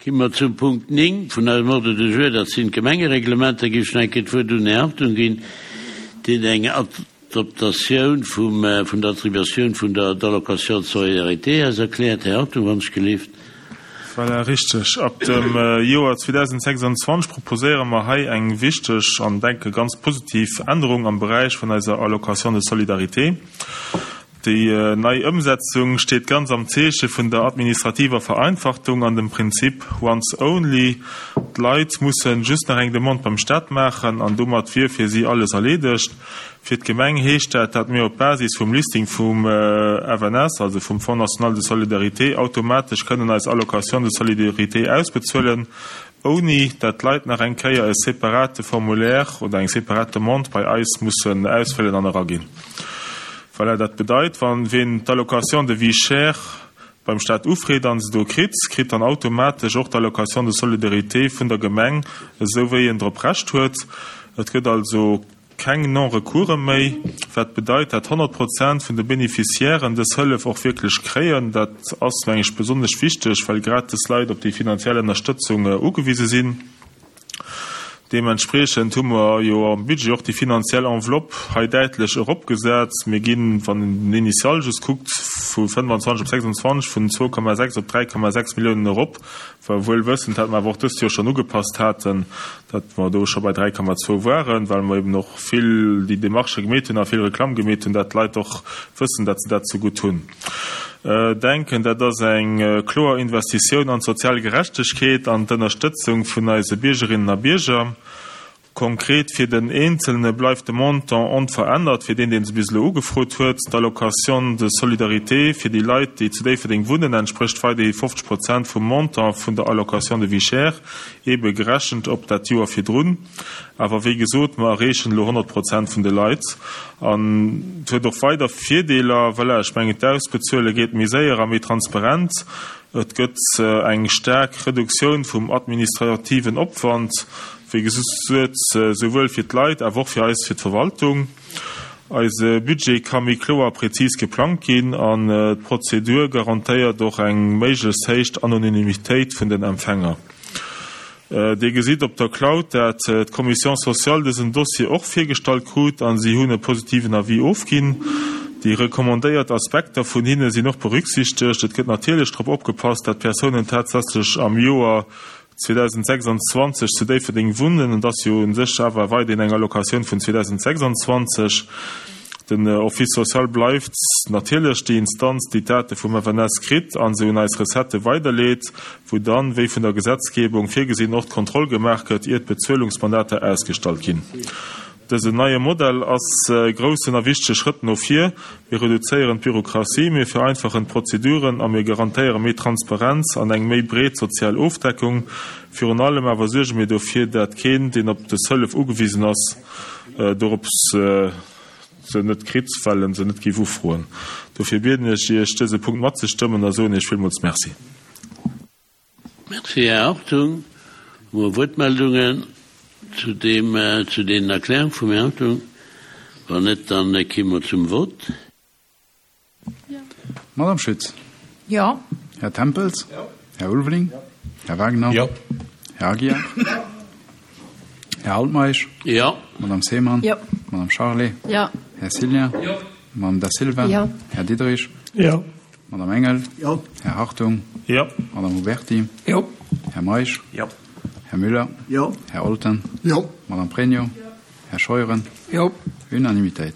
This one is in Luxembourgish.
Gi mer zum Punkt 9 vun eisem Ordre du jour, dat sinn d'Gemengereglementer. Géif ech nach eng Kéier d'Wuert un den Här Hartung ginn, deen eng Adoptatioun vum, vun der Attribuatioun vun der d'Allocation de solidarité eis erkläert. Här Hartung, wann ech gelift. Voilà, richteg. Ab dem Joer 2026 proposéiere mer hei eng wichteg an, denke, ganz positiv Ännerung am Beräich vun eiser Allocation de solidarité. Déi nei Ëmsetzung steet ganz am Zeeche vun der administrativer Vereinfachtung an dem Prinzip once only. D'Leit mussen just nach eng Demande beim Staat maachen an domat wier fir si alles erleedegt. Fir d'Gemeng heescht dat, dat mir op Basis vum Listing vum FNS, also vum Fonds national de solidarité, automatesch kënnen eis Allocation de solidarité ausbezuelen, ouni dat d'Leit nach eng Kéier e separate Formulaire oder eng separat Demande bei eis mussen ausfëllen an eraginn. Voilà, dat bedeit, wann ween d'Allocation de vie chère beim Staat ufreet an se do kritt, kritt dann automatesch och d'Allocation de solidarité vun der Gemeng, esou wéi en drop Recht huet. Et gëtt also keng Non-recourse méi, wat bedeit, dat 100 Prozent vun de Beneficiairen dës Hëllef och wierklech kréien. Dat ass, meng ech, besonnesch wichteg, well grad dës Leit op déi finanziell Ënnerstëtzung ugewise sinn. Deementspriechend hu mer jo am Budget och déi finanziell Enveloppe hei däitlech eropgesat. Mir ginn, wann een den Initial just kuckt, vu 25 op 26, vun 2,6 op 3,6 Milliounen erop, wuel wëssend, dat mer awer och dëst Joer schonn ugepasst haten, dat mer do scho bei 3,2 waren, well mer eben och vill déi Démarchë gemeet hunn a vill Reklamm gemeet hunn, dat d'Leit och wëssen, dat se dat zegutt hunn. Denken, dat ass eng kloer Investitioun an d'sozial Gerechtegkeet an d'Ënnerstëtzung vun eise Biergerinnen a Bierger. Konkret fir den Eenzelne bleift de Montant onverännert fir deen, deen se bis elo ugefrot huet. D'Allocation de solidarité fir déi Leit, déi zu Déifferdeng wunnen, entsprécht weiderhi 50 Prozent vum Montant vun der Allocation de vie chère, eebe gerechent op dat Joer virdrun. Awer wéi gesot, mer erreechen elo 100 Prozent vun de Leit. An et huet och weider Virdeeler. Voilà, ech mengen, d'Ausbezuele geet méi séier a méi transparent. Et gëtt eng staark Reduktioun vum administrativen Opwand, wéi gesot, souwuel fir d'Leit, awer och fir eis, fir d'Verwaltung. Eise Budget ka méi kloer a prezis geplangt ginn an d'Prozedur garantéiert och eng méiglechst héich Anonymitéit vun den Empfänger. Dir gesitt op der Cloud, dat d'Commission sociale dësen Dossier och virgestallt krut a si hunn e positiven Avis ofginn. Déi recommandéiert Aspekter vun hinne sinn och berücksichtegt. Et gëtt natierlech drop opgepasst, dat d'Persounen tatsächlech am Joer 2026 zu Déifferdeng wunnen. Et ass jo u sech awer weiderhin eng Allocatioun vun 2026. Den Office social bleift natierlech déi Instanz, déi d'Date vum FNS kritt a se un eis Recettë weiderleet, wou dann, wéi vun der Gesetzgebung virgesinn, och d'Kontroll gemaach gëtt, ier d'Bezuelungsmandater ausgestallt ginn. Dësen neie Modell ass e groussen a wichtege Schrëtt no vir. Mir reduzéieren d'Bürokratie, mir vereinfachen d'Prozeduren a mir garantéiere méi Transparenz an eng méi breet sozial Ofdeckung. Virun allem awer suerge mir dofir, dat keen, deen op dës Hëllef ugewisen ass, dorops se net kritt, well en se net géif ufroen. Dofir bieden ech Iech, dëse Punkt matzestëmmen a soen Iech villmools Merci. Merci, Här Hartung. Hu mer Wuertmeldungen zu deem, zu deenen Erklärung vum Här Hartung? Wann net, dann ki mer zum Vott. Madame Schütz. Jo. Här Tempels. Jo. Här Ulveling. Jo. Här Wagner. Jo. Här Aguiar. Jo. Här Altmeisch. Jo. Madame Seemann. Jo. Madame Charlé. Jo. Här Cillien. Jo. Madame Da Silva. Jo. Här Diderich. Jo. Madame Engel. Jo. Här Hartung. Jo. Madame Huberty. Jo. Här Meisch. Jo. Här Müller. Jo. Här Olten. Jo. Madame Pregno. Jo. Här Scheuren. Jo. Unanimitéit.